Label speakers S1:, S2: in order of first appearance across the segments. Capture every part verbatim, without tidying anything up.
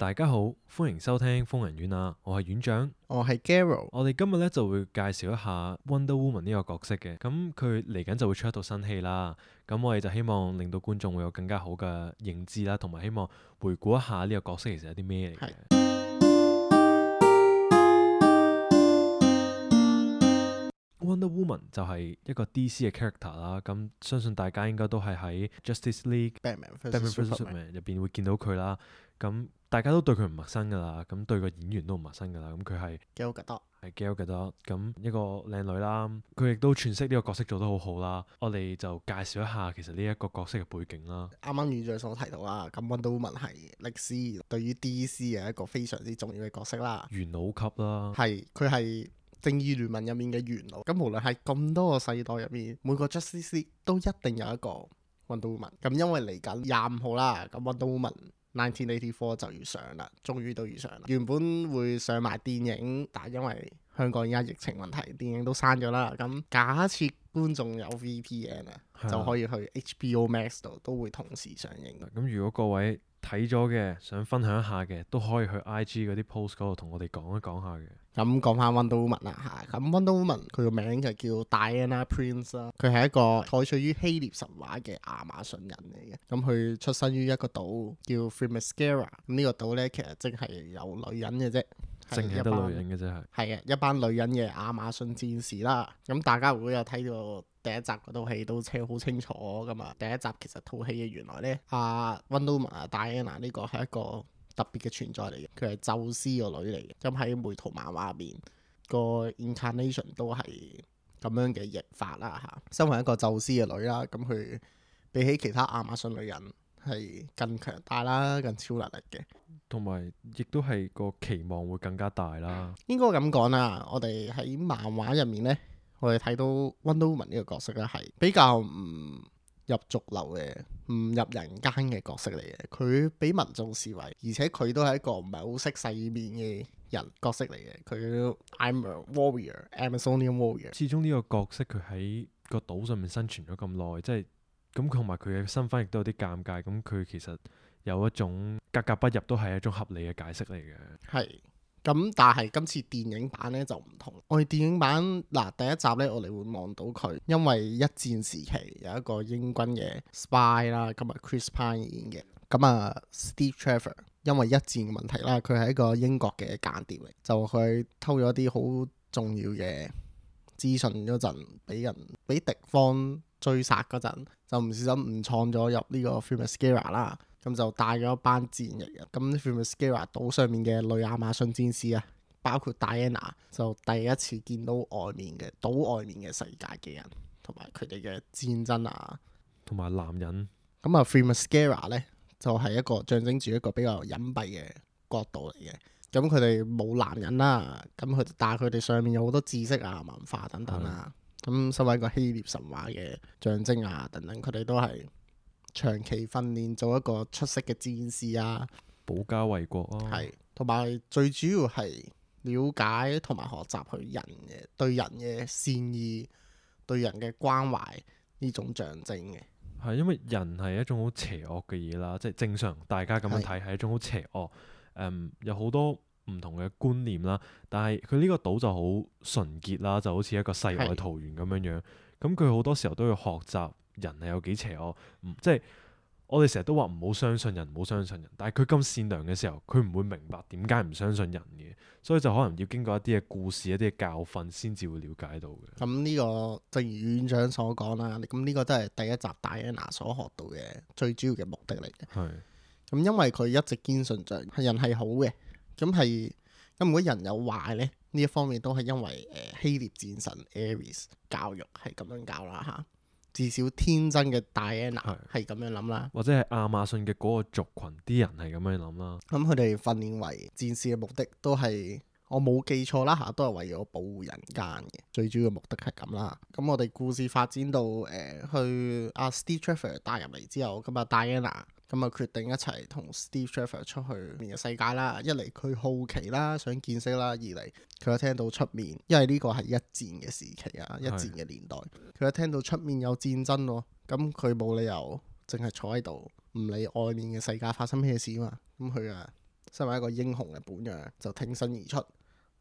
S1: 大家好，歡迎收聽瘋人院啊！我係院長，
S2: 我係 Garo。
S1: 我哋今日咧就會介紹一下 Wonder Woman 呢個角色嘅。咁佢嚟緊就會出一套新戲啦。咁我哋就希望令到觀眾會有更加好嘅認知啦，同埋希望回顧一下呢個角色其實有啲咩嚟嘅。Wonder Woman 就係一個 D C 嘅 character 啦。咁相信大家應該都係喺 Justice League
S2: Batman
S1: Batman
S2: vs
S1: vs Superman 入邊會見到佢啦。咁大家都對佢唔陌生噶啦，咁對個演員都唔陌生噶啦。咁佢係
S2: Gal Gadot，
S1: 係 Gal Gadot，咁一個靚女啦。佢亦都詮釋呢個角色做得好好啦。我哋就介紹一下其實呢一個角色嘅背景啦。
S2: 啱啱院長所提到啦，咁 Wonder Woman 係歷史對於 D C 嘅一個非常之重要嘅角色啦。
S1: 元老級啦，
S2: 係佢係正義聯盟入面嘅元老。咁無論係咁多個世代入面，每個 Justice League 都一定有一個 Wonder Woman。咁因為嚟緊廿五號啦，咁 Wonder Woman nineteen eighty-four 就要上啦，終於都要上啦。原本會上埋電影，但係因為香港而家疫情問題，電影都刪咗啦。咁假設觀眾有 V P N 啊，就可以去 H B O Max 度都會同時上映。
S1: 咁如果各位睇咗嘅，想分享一下嘅，都可以去 I G 嗰啲 post 嗰度同我哋講一講下嘅。
S2: 咁講翻 Wonder Woman 啦嚇，咁 Wonder Woman 佢個名就叫 Diana Prince 啦，佢係一個採取於希臘神話嘅亞馬遜人嚟嘅。咁佢出生於一個島叫 Themyscira，咁呢個島咧其實淨係有女人嘅啫，
S1: 淨係得女人嘅啫係。
S2: 係嘅，一班女人嘅亞馬遜戰士啦。咁大家如果有睇到第一集嗰套戲都清好清楚噶嘛。第一集其實套戲嘅原來咧，阿 Wonder Woman 啊 Diana 呢個係一個特別嘅存在嚟嘅，佢係宙斯個女嚟嘅。咁喺梅圖漫畫入面個 incarnation 都係咁樣嘅譯法啦嚇。身為一個宙斯嘅女啦，咁佢比起其他亞馬遜女人係更強大啦，更超能力嘅，
S1: 同埋亦都係個期望會更加大啦。
S2: 應該咁講啦。我哋喺漫畫入面呢，我哋睇到 Wonder Woman 呢個角色咧係比較唔入俗流嘅，唔入人間嘅角色嚟嘅。佢俾民眾視為，而且佢都係一個唔係好識世面嘅人角色嚟嘅。佢 I'm a warrior, Amazonian warrior。
S1: 始終呢個角色佢喺個島上面生存咗咁耐，即係咁同埋佢嘅身份亦都有啲尷尬。咁佢其實有一種格格不入，都係一種合理嘅解釋嚟嘅。
S2: 係。咁但係今次電影版咧就唔同。我哋電影版嗱第一集咧，我哋會望到佢，因為一戰時期有一個英軍嘅 spy 啦，咁啊 Chris Pine 演嘅。咁啊 Steve Trevor 因為一戰嘅問題啦，佢係一個英國嘅間諜嚟，就去偷咗啲好重要嘅資訊嗰陣，俾人俾敵方追殺嗰陣，就唔小心誤闖咗入呢個 Themyscira 啦。咁就帶咗一班戰役啊！咁 Themyscira 島上面嘅女亞馬遜戰士啊，包括 Diana，就第一次見到外面嘅島外面嘅世界嘅人，同埋佢哋嘅戰爭啊，
S1: 同埋男人。
S2: 咁啊 Themyscira 咧就係、是、一個象徵住一個比較隱蔽嘅國度嚟嘅。咁佢哋冇男人啦，咁佢但係佢哋上面有好多知識啊、文化等等啊。咁身為一個希臘神話嘅象徵啊等等，佢哋都係長期訓練做一個出色嘅戰士啊，
S1: 保家衛國啊，
S2: 係同埋最主要係了解同埋學習佢人嘅對人嘅善意、對人嘅關懷呢種象徵嘅。
S1: 係因為人係一種好邪惡嘅嘢啦，即係正常大家咁樣睇係一種好邪惡，誒、嗯、有好多唔同嘅觀念啦。但係佢呢個島就好純潔啦，就好似一個世外桃源咁樣樣。咁佢好多時候都要學習人係有幾邪惡，唔即係我哋成日都話唔好相信人，唔好相信人。但係佢咁善良嘅時候，佢唔會明白點解唔相信人嘅，所以就可能要經過一啲嘅故事、一啲嘅教訓，先至會了解到嘅。
S2: 咁呢個正如院長所講啦，咁呢個都係第一集戴安娜所學到嘅最主要嘅目的嚟嘅。
S1: 係
S2: 咁因為佢一直堅信着係人係好嘅，咁係咁如果人有壞咧，呢一方面都係因為誒、呃、希臘戰神 Ares 教育係咁樣教啦嚇。至少天真嘅 Diana 係咁樣諗啦，
S1: 或者係亞馬遜嘅嗰個族群啲人係咁樣諗啦。
S2: 咁佢哋訓練為戰士嘅目的都係，我冇記錯啦嚇，都係為咗保護人間嘅，最主要嘅目的係咁啦。咁我哋故事發展到誒、呃、去阿、啊、Steve Trevor 帶入嚟之後，咁啊 Diana 咁啊決定一齊同 Steve Trevor 出去面嘅世界啦。一嚟佢好奇啦，想見識啦；二嚟佢一聽到出面，因為呢個係一戰嘅時期啊，一戰嘅年代，佢一聽到出面有戰爭喎，咁佢冇理由淨係坐喺度唔理外面嘅世界發生咩事嘛。咁佢啊身為一個英雄嘅本樣，就挺身而出，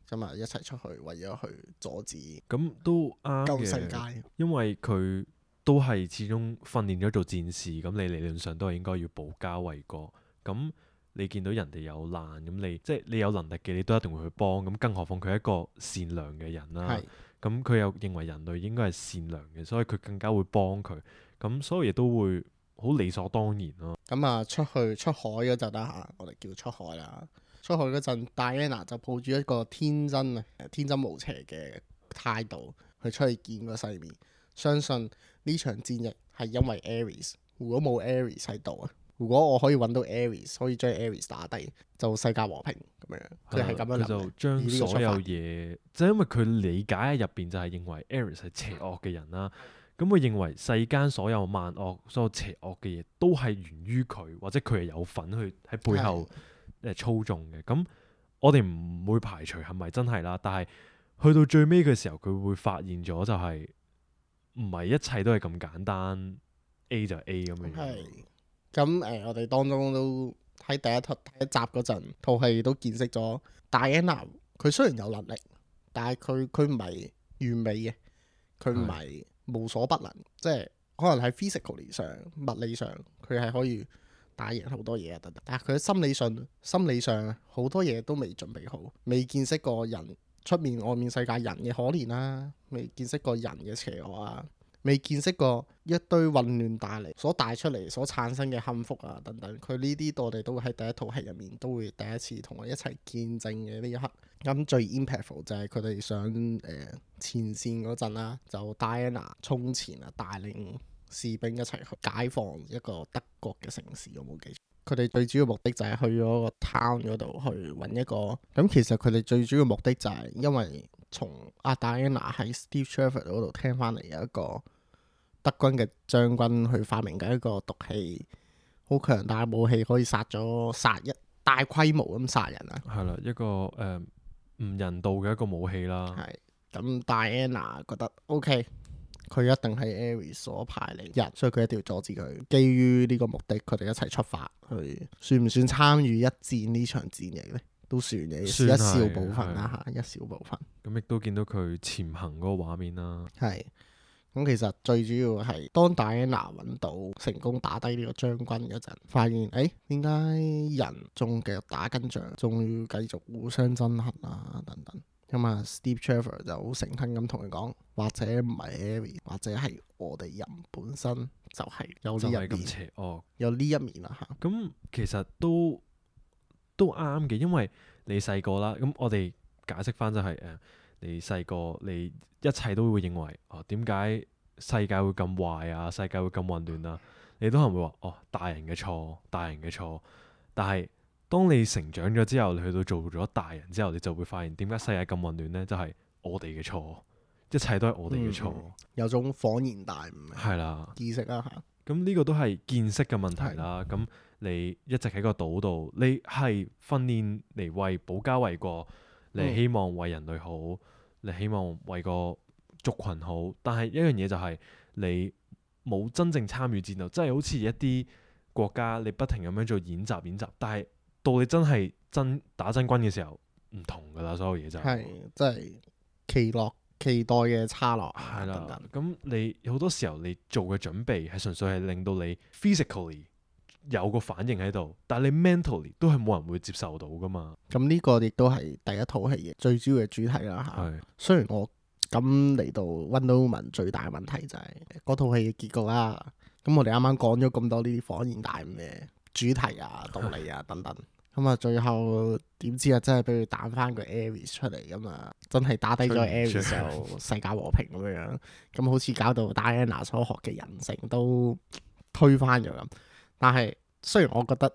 S2: 咁啊一齊出去為咗去阻止
S1: 咁都啱
S2: 救世
S1: 嘅，
S2: 界。
S1: 因為佢都係始終訓練咗做戰士，咁你理論上都係應該要保家衛國。咁你見到人哋有難，咁你即係你有能力嘅，你都一定會去幫。咁更何況佢係一個善良嘅人啦。
S2: 係
S1: 咁佢又認為人類應該係善良嘅，所以佢更加會幫佢。咁所有嘢都會好理所當然咯。
S2: 咁啊，出去出海嗰陣啦嚇，我哋叫出海啦。出海嗰陣，Diana 就抱住一個天真啊、天真無邪嘅態度去出去見個世面。相信呢場戰役係因為 Ares。如果冇 Ares 喺度啊，如果我可以揾到 Ares，可以將 Ares 打低，就世界和平咁樣。佢係咁樣諗嘅。
S1: 佢就將所有嘢，即係因為佢理解喺入邊就係認為 Ares 係邪惡嘅人啦。咁佢認為世間所有萬惡、所有邪惡嘅嘢都係源於佢，或者佢係有份去喺背後誒操縱嘅。咁我哋唔會排除係咪真係啦，但係去到最尾嘅時候，佢會發現咗就係唔係一切都係咁簡單 ，A 就係 A 咁樣。
S2: 係咁誒，我哋當中都喺第一套第一集嗰陣，套戲都見識咗 Diana。佢雖然有能力，但係佢佢唔係完美嘅，佢唔係無所不能，即係可能喺 physically 上、物理上，佢係可以打贏好多嘢啊等等。但係佢喺心理上、心理上好多嘢都未準備好，未見識過人出面外面世界人嘅可憐啦，未見識過人嘅邪惡啊。未見識過一堆混亂帶嚟所帶出嚟所產生嘅幸福啊等等，佢呢啲我哋都會喺第一套戲入面都會第一次同我一齊見證嘅呢一刻。咁最 impactful 就係佢哋上誒、呃、前線嗰陣啦，就 Diana 衝前啊，帶領士兵一齊去解放一個德國嘅城市，我冇記錯。佢哋最主要目的就係去咗個 town 嗰度去揾一個。咁其實佢哋最主要目的就係因為從阿 Diana 喺 Steve Trevor 嗰度聽翻嚟有一個德軍嘅將軍去發明緊一個毒氣，好強大嘅武器，可以殺咗殺一大規模咁殺人啊！係
S1: 啦，一個誒唔、呃、人道嘅一個武器啦。
S2: 係咁，Diana 覺得 OK，佢一定係 Ares 所派嚟人，所以佢一定要阻止佢。基於呢個目的，佢哋一齊出發去，算唔算參與一戰呢場戰役呢？都算嘅，算一小部分啦嚇，一小部分。
S1: 咁亦都見到佢潛行嗰個畫面啦。
S2: 係。咁其實最主要係當 Diana 揾到成功打低呢個將軍嗰陣，發現誒點解人仲繼續打緊仗，仲要繼續互相憎恨啊等等。咁啊 Steve Trevor 就好誠懇咁同佢講，或者唔係 Ares，或者係我哋人本身就係有呢一面，
S1: 咁邪惡，
S2: 有呢一面啦嚇。
S1: 咁其實都都啱嘅，因為你細個啦，咁我哋解釋翻就係、是、誒。你細個，你一切都會認為哦，點解世界會咁壞啊？世界會咁混亂啊？你都可能會話哦，大人嘅錯，大人嘅錯。但係當你成長咗之後，你去到做咗大人之後，你就會發現點解世界咁混亂呢？就係、是、我哋嘅錯，一切都係我哋嘅錯、嗯。
S2: 有種恍然大悟
S1: 係啦，
S2: 意識啦嚇。
S1: 咁呢個都係見識嘅問題啦。咁你一直喺個島度，你係訓練嚟為保家衛國，你希望為人類好。嗯你希望為個族群好，但係一樣嘢就係你冇真正參與戰鬥，即係好似一啲國家你不停咁樣做演習演習，但係到你真係真打真軍嘅時候唔同㗎啦，所有嘢就係
S2: 即係期落期待嘅差落
S1: 係啦。咁你好多時候你做嘅準備係純粹係令到你 physically 有個反應喺度，但係你 mentally 都係冇人會接受到噶嘛。
S2: 咁呢個亦都係第一套戲嘅最主要嘅主題啦嚇。
S1: 是
S2: 雖然我咁嚟到 Wonder Woman 最大嘅問題就係嗰套戲嘅結局啦。咁我哋啱啱講咗咁多呢啲恍然大悟嘅主題啊、道理啊等等。咁啊，最後點知啊，真係俾佢彈翻個 Ares 出嚟咁啊，真係打低咗 Ares 就世界和平咁樣樣。咁好似搞到 Diana 所學嘅人性都推翻咗咁。但係雖然我覺得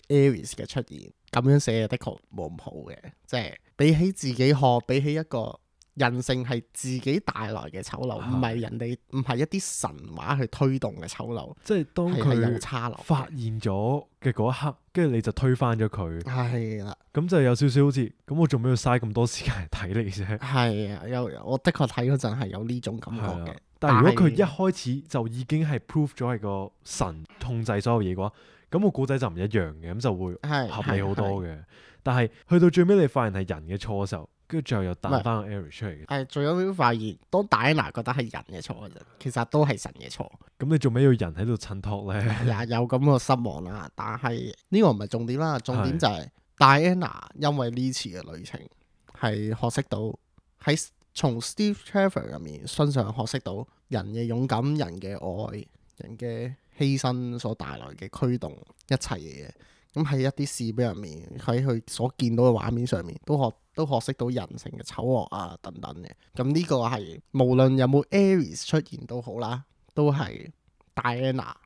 S2: Ares 嘅出現咁樣寫嘅的確冇咁好嘅，即係比起自己學，比起一個人性係自己帶來嘅醜陋，唔係的人哋唔係一啲神話去推動嘅醜陋。
S1: 即係當佢
S2: 有差落
S1: 發現咗嘅嗰一刻，跟住你就推翻咗佢。
S2: 係啦的，
S1: 咁就有少少好似咁，我做咩要嘥咁多時間嚟睇你啫？係
S2: 啊，有我的確睇嗰陣係有呢種感覺嘅。
S1: 但係如果佢一開始就已經係 prove 咗係個神控制所有嘢嘅話，咁個故仔就唔一樣嘅，咁就會
S2: 係
S1: 合理好多
S2: 係
S1: 嘅。但係去到最尾你發現係人嘅錯嘅時候，跟住最後又彈
S2: 唔係
S1: 翻個 Ares 出嚟嘅，
S2: 係最後尾發現，當戴安娜覺得係人嘅錯嘅啫，其實都係神嘅錯。
S1: 咁你做咩要人喺度襯托咧？
S2: 也有咁個失望啦，但係呢個唔係重點啦，重點就係戴安娜因為呢次嘅旅程係學識到喺從 Steve Trevor 入面身上學識到人嘅勇敢、人嘅愛、人嘅犧牲所帶來嘅驅動一切嘅嘢。咁喺一啲視頻入面，喺佢所見到嘅畫面上面，都學都學識到人性嘅醜惡啊等等嘅。咁呢個係無論有冇 Ares 出現都好啦，都係戴安娜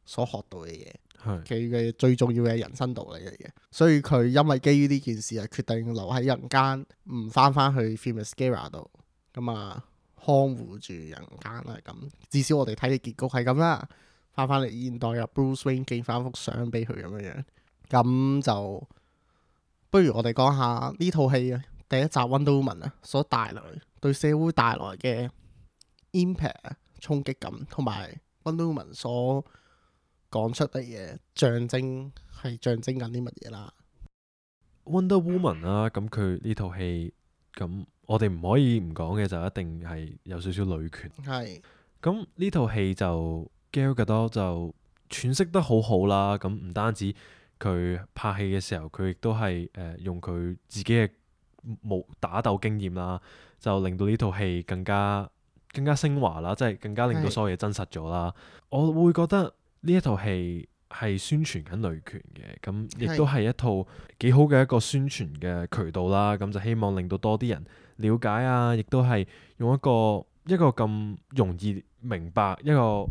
S2: 所學到嘅嘢，
S1: 係
S2: 佢嘅最重要嘅人生道理嚟嘅。所以佢因為基於呢件事，係決定留喺人間，唔翻翻去 Themyscira 度，咁啊看護住人間啦。咁至少我哋睇嘅結局係咁啦。翻翻嚟現代入 Bruce Wayne 寄翻幅相俾佢咁樣樣。咁就不如我哋講下呢套戲啊，第一集 Wonder Woman 啊所帶來對社會帶來嘅 impact 衝擊感，同埋 Wonder Woman 所講出嚟嘅象徵係象徵緊啲乜嘢啦。
S1: Wonder Woman 啦，咁佢呢套戲，咁我哋唔可以唔講嘅就一定係有少少女權。
S2: 係
S1: 咁呢套戲就 Gal Gadot 就詮釋得好好啦。咁唔單止佢拍戲嘅時候，佢亦都係誒用佢自己嘅武打鬥經驗啦，就令到呢套戲更加更加升華啦，即係更加令到所有嘢真實咗啦。我會覺得呢一套戲係宣傳緊女權嘅，咁亦都係一套幾好嘅一個宣傳嘅渠道啦。咁就希望令到多啲人了解啊，亦都係用一個一個咁容易明白一個。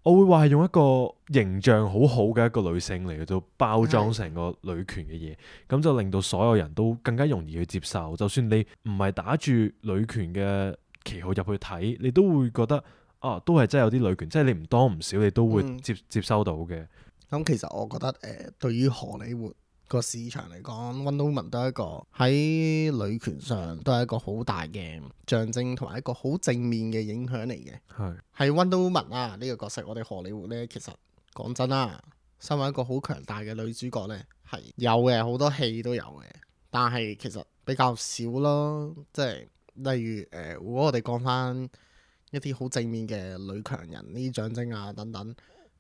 S1: 我會話係用一個形象好好嘅一個女性嚟到包裝成個女權嘅嘢，咁就令到所有人都更加容易去接受。就算你唔係打住女權嘅旗號入去睇，你都會覺得啊，都係真係有啲女權，即係你唔多唔少，你都會接、嗯、接收到嘅。
S2: 咁其實我覺得誒、呃，對於荷里活個市場嚟講，Wonder Woman 都係一個喺女權上都係一個好大嘅象徵，同埋一個好正面嘅影響嚟嘅。
S1: 係
S2: 係 Wonder Woman 啊，呢個角色，我哋荷里活呢，其實講真啦，身為一個好強大嘅女主角呢，係有嘅，好多戲都有嘅，但係其實比較少咯。即係例如誒、呃，如果我哋講翻一啲好正面嘅女強人呢啲象徵啊等等。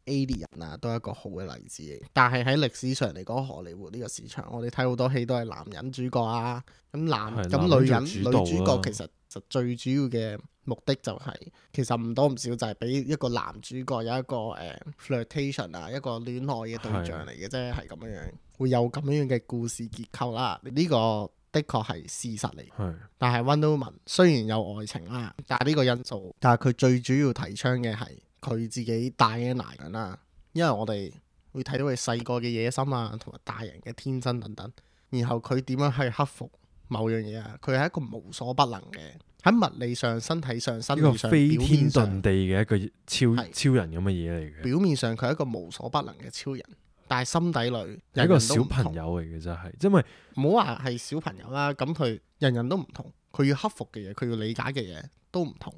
S2: Alien 啊，都係一個好嘅例子嚟。但係喺歷史上嚟講，荷里活呢個市場，我哋睇好多戲都係男人主角啊。咁男咁女人女主角其實就最主要嘅目的就係、是，其實唔多唔少就係俾一個男主角有一個誒、呃、flirtation 啊，一個戀愛嘅對象嚟嘅啫，係咁樣樣，會有咁樣嘅故事結構啦。呢、這個的確係事實嚟。
S1: 係
S2: 但係 Wonder Woman 雖然有愛情啦，但係呢個因素，但係佢最主要提倡嘅係。佢自己戴安娜緊啦，因為我哋會睇到佢細個嘅野心啊，同埋大人嘅天真等等。然後佢點樣去克服某樣嘢啊？佢係一個無所不能嘅，喺物理上、身體上、心理上、
S1: 飛天
S2: 上
S1: 遁地嘅一個超
S2: 是
S1: 超人咁嘅嘢嚟嘅。
S2: 表面上佢係一個無所不能嘅超人，但係心底裏
S1: 係一個小朋友嚟嘅，真係，因為
S2: 唔好話係小朋友啦。咁佢人人都唔同，佢要克服嘅嘢，佢要理解嘅嘢都唔同。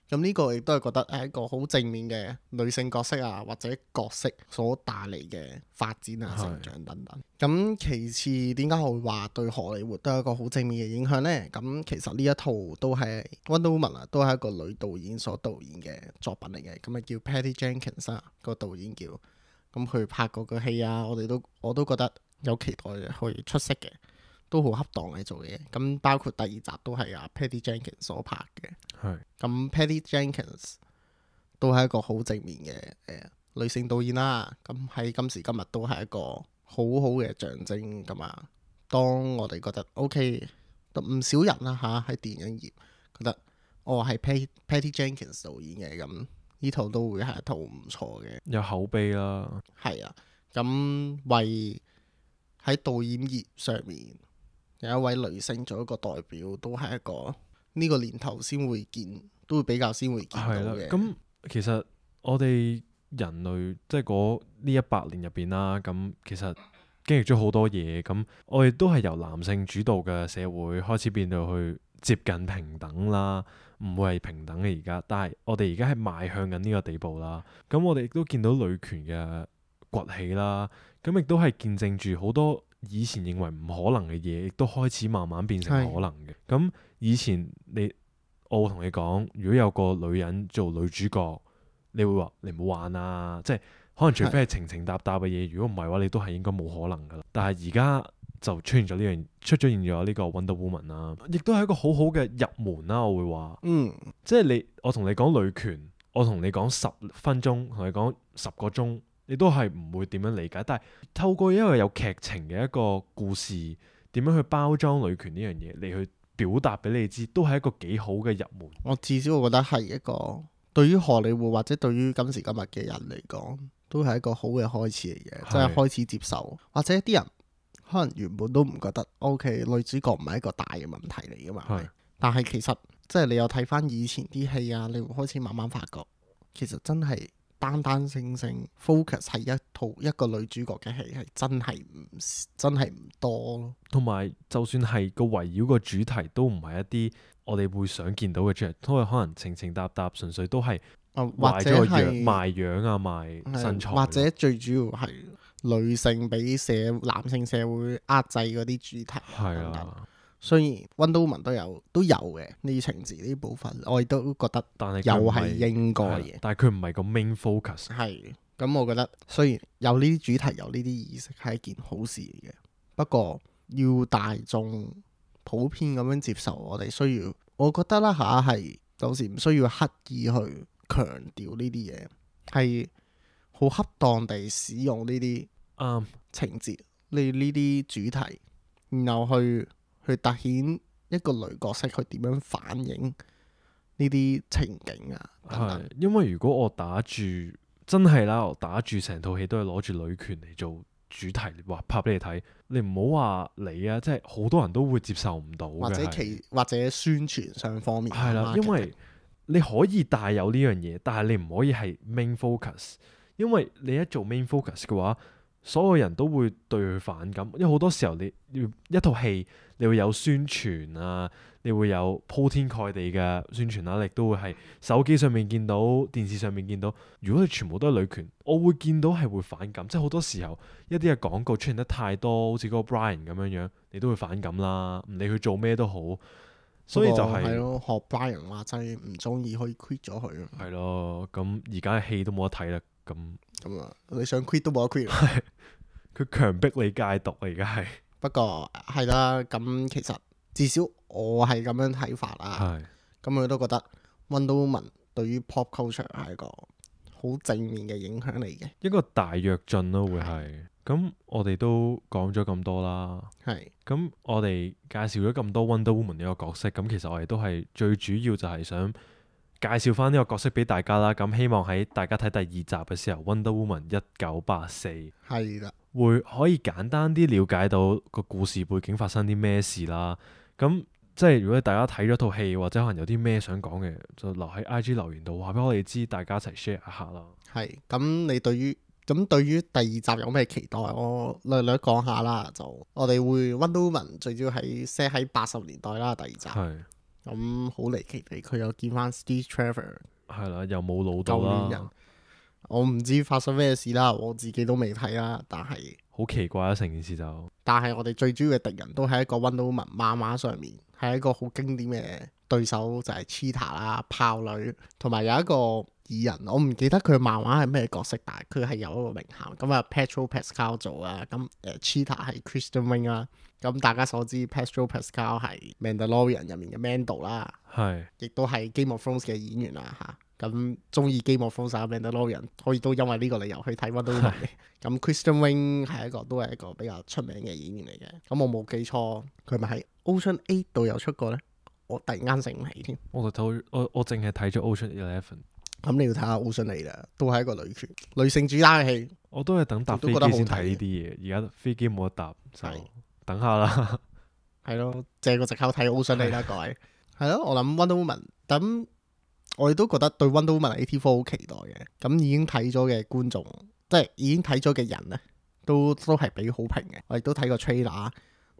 S2: 咁呢個亦都係覺得係一個好正面嘅女性角色啊，或者角色所帶嚟嘅發展啊、成長等等。咁其次，點解我會話對荷里活都係一個好正面嘅影響呢？咁其實呢一套都係 Wonder Woman 啊，都係一個女導演所導演嘅作品嚟嘅。咁啊叫 Patty Jenkins 啊，個導演叫。咁佢拍過嘅戲啊，我哋都我都覺得有期待去出色嘅。都好恰當嘅做嘢，咁包括第二集都係阿 Patty Jenkins 所拍嘅。
S1: 係
S2: 咁 Patty Jenkins 都係一個好正面嘅誒、呃、女性導演啦。咁喺今時今日都係一個好好嘅象徵㗎嘛。當我哋覺得 OK，唔少人啦嚇喺電影業覺得哦係 Patty Patty Jenkins 導演嘅，咁呢套都會係一套唔錯嘅，
S1: 有口碑啦。
S2: 係啊，咁為喺導演業上面。有一位女性做一個代表，都係一個呢個年頭先會見，都會比較先會見到嘅。
S1: 咁其實我哋人類即係嗰呢一百年入邊啦，咁其實經歷咗好多嘢。咁我哋都係由男性主導嘅社會開始變到去接近平等啦，唔會係平等嘅而家。但係我哋而家係邁向緊呢個地步啦。咁我哋亦都見到女權嘅崛起啦。咁亦都係見證住好多以前認為唔可能嘅嘢，亦都開始慢慢變成可能嘅。咁以前你我同你講，如果有個女人做女主角，你會話你唔好玩啊！即係可能除非係情情搭搭嘅嘢，如果唔係嘅話，你都係應該冇可能噶啦。但係而家就出現咗呢樣，出咗現咗呢個 Wonder Woman 啦，亦都係一個好好嘅入門啦。我會話，
S2: 嗯，
S1: 即係你我同你講女權，我同你講十分鐘，同你講十個鐘，你都係唔會點樣理解。但係透過一個有劇情嘅一個故事，點樣去包裝女權呢樣嘢，嚟去表達俾你知，都係一個幾好嘅入門。
S2: 我至少我覺得係一個對於荷里活或者對於今時今日嘅人嚟講，都係一個好嘅開始嚟嘅，即係開始接受，或者啲人可能原本都唔覺得 OK 女主角唔係一個大嘅問題嚟噶嘛。係，但係其實即係你有睇翻以前啲戲啊，你會開始慢慢發覺，其實真係單單性性 focus 係一套一個女主角嘅戲係真係唔真係唔多咯。同
S1: 埋就算係個圍繞個主題都唔係一啲我哋會想見到嘅主題，都係可能情情搭搭，純粹都係
S2: 或者係
S1: 賣樣啊，賣身材，
S2: 或者最主要係女性俾社男性社會壓制嗰啲主題。係啊，雖然 Wonder Woman 都有都有嘅呢啲情節呢部分，我亦都覺得又係應該嘅。
S1: 但係佢唔係個 main focus。
S2: 係，咁我覺得雖然有呢啲主題有呢啲意識係一件好事嚟嘅，不過要大眾普遍咁樣接受，我哋需要，我覺得啦嚇係有時唔需要刻意去強調呢啲嘢，係好恰當地使用呢啲
S1: 啱
S2: 情節，呢呢啲主題，然後去去凸顯一個女角色佢點樣反映呢啲情景啊等等。
S1: 係，因為如果我打住真係啦，我打住成套戲都係攞住女權嚟做主題話拍俾你睇，你唔好話你啊，即係好多人都會接受唔到嘅，
S2: 或者其或者宣傳上方面
S1: 係啦，因為你可以帶有呢樣嘢，但係你唔可以係 main focus，因為你一做 main focus 嘅話，所有人都會對佢反感，因為好多時候你要一套戲，你會有宣傳啊，你會有鋪天蓋地嘅宣傳啦，你都會係手機上面見到、電視上面見到。如果你全部都係女權，我會見到係會反感，即係好多時候一啲嘅廣告出現得太多，好似嗰個 Brian 咁樣樣，你都會反感啦。唔理佢做咩都好，所以就係
S2: 係咯，學 Brian 話齋唔中意可以 quit 咗佢。
S1: 係咯，咁而家嘅戲都冇得睇啦，咁
S2: 咁啊，你想 quit 都冇得 quit。
S1: 佢強迫你戒毒啊！而家係
S2: 不過係啦，咁其實至少我係咁樣睇法啦。咁佢都覺得 Wonder Woman 對於 pop culture 係一個好正面嘅影響嚟嘅，
S1: 一個大躍進咯，會係。咁我哋都講咗咁多啦。係。咁我哋介紹咗咁多 Wonder Woman 呢個角色，咁其實我哋都係最主要就係想介紹翻呢個角色俾大家啦。咁希望喺大家睇第二集嘅時候，Wonder Woman 一九八四係啦，會可以簡單啲了解到個故事背景發生啲咩事啦。咁即係如果大家睇咗套戲或者可能有啲咩想講嘅，就留喺 I G 留言度話俾我哋知，大家一齊 share 一下啦。係。咁你對於咁對於第二集有咩期待？我略略講下啦。就我哋會 Wonder Woman 最主要係 set 喺八十年代啦。第二集係。咁好離奇地，佢又見翻 Steve Trevor， 係啦，又冇老到啦。舊年人，我唔知發生咩事啦，我自己都未睇啦。但係好奇怪啊，成件事就。但係我哋最主要嘅敵人都係一個 Wonder Woman 漫畫上面，係一個好經典嘅對手，就係 Cheetah 啦，豹女，同埋有一個異人，我唔記得佢漫畫係咩角色，但係佢係有一個名銜。咁啊，Pedro Pascal 做啊，咁誒 Cheetah 係 Kristen Wiig 啦。咁大家所知 Pedro Pascal 係 Mandalorian 入面嘅 Mando 啦，係，亦都係 Game of Thrones 嘅演員啦嚇。咁中意 Game of Thrones 啊 Mandalorian，可以都因為呢個理由去睇 Wonder Woman 嘅。咁 Kristen Wiig 係一個都係一個比較出名嘅演員嚟嘅。咁我冇記錯，佢咪喺 Ocean Eight 度有出過咧？我突然間醒唔起添。我就睇我我淨係睇咗 Ocean Eleven。咁你要睇下 Ocean Eight啦，都係一個女權女性主打嘅戲。我都係等搭飛機先睇呢啲嘢，而家飛機冇得搭就。等下啦，係咯，借個藉口睇 Ocean Eight啦，各位。係咯，我諗 Wonder Woman，咁我亦都覺得對 Wonder Woman eighty four 好期待嘅。咁已經睇咗嘅觀眾，即係已經睇咗嘅人咧，都都係俾好評嘅。我亦都睇過 trailer，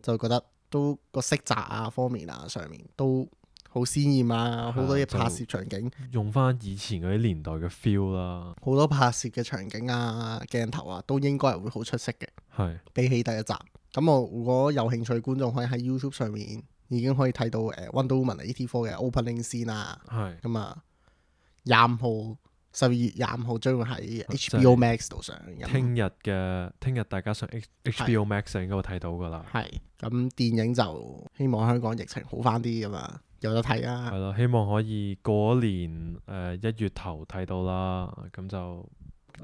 S1: 就覺得都個色澤啊方面啊上面都
S2: 好鮮豔啊，好多嘢
S1: 係啊就
S2: 拍攝場景，
S1: 用翻以前嗰啲年代嘅 feel 啦，
S2: 好多拍攝嘅場景啊、鏡頭啊，都應該係會好出色嘅。
S1: 係
S2: 比起第一集，咁我如果有興趣觀眾可以喺 YouTube 上面已經可以睇到誒 Wonder Woman eighty four 嘅 opening 先啦。
S1: 係
S2: 咁啊，廿五號十二月廿五號將會喺
S1: 即係
S2: H B O Max 度上映。
S1: 聽日嘅聽日大家上 H H B O Max 就應該會睇到噶啦。
S2: 係咁電影就希望香港疫情好翻啲咁啊，有得睇啊
S1: 係。咯，希望可以過一年誒一月頭睇到啦，咁就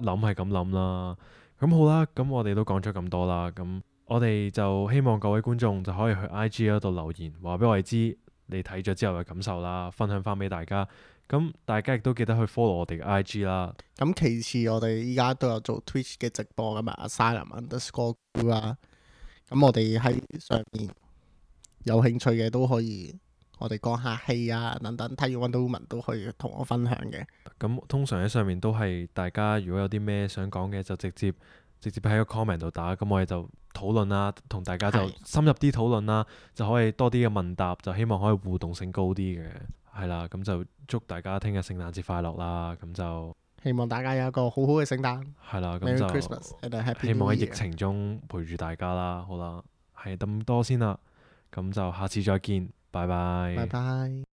S1: 諗係咁諗啦。咁好啦，咁我哋都講咗咁多啦，咁我哋就希望各位觀眾就可以去 I G 嗰度留言，話俾我哋知你睇咗之後嘅感受啦，分享翻俾大家。咁大家亦都記得去 follow 我哋嘅 I G 啦。
S2: 咁其次，我哋依家都有做 Twitch 嘅直播噶嘛，Asylum underscore 啦。咁我哋喺上面有興趣嘅都可以，我哋講下戲啊等等，睇完 Wonder Woman 都可以同我分享嘅。
S1: 咁通常喺上面都係大家如果有啲咩想講嘅，就直接直接喺個 comment 度打，咁我哋就討論啦，同大家就
S2: 係
S1: 深入啲討論啦，就可以多啲嘅問答，就希望可以互動性高啲嘅，係啦，咁就祝大家聽日聖誕節快樂啦，咁就
S2: 希望大家有一個好好嘅聖誕
S1: 係啦，咁
S2: ，Merry
S1: 就
S2: Christmas and a Happy
S1: 希
S2: New
S1: 望喺
S2: Year
S1: 疫情中陪住大家啦，好啦，係咁多先啦，咁就下次再見，拜拜。
S2: 拜拜。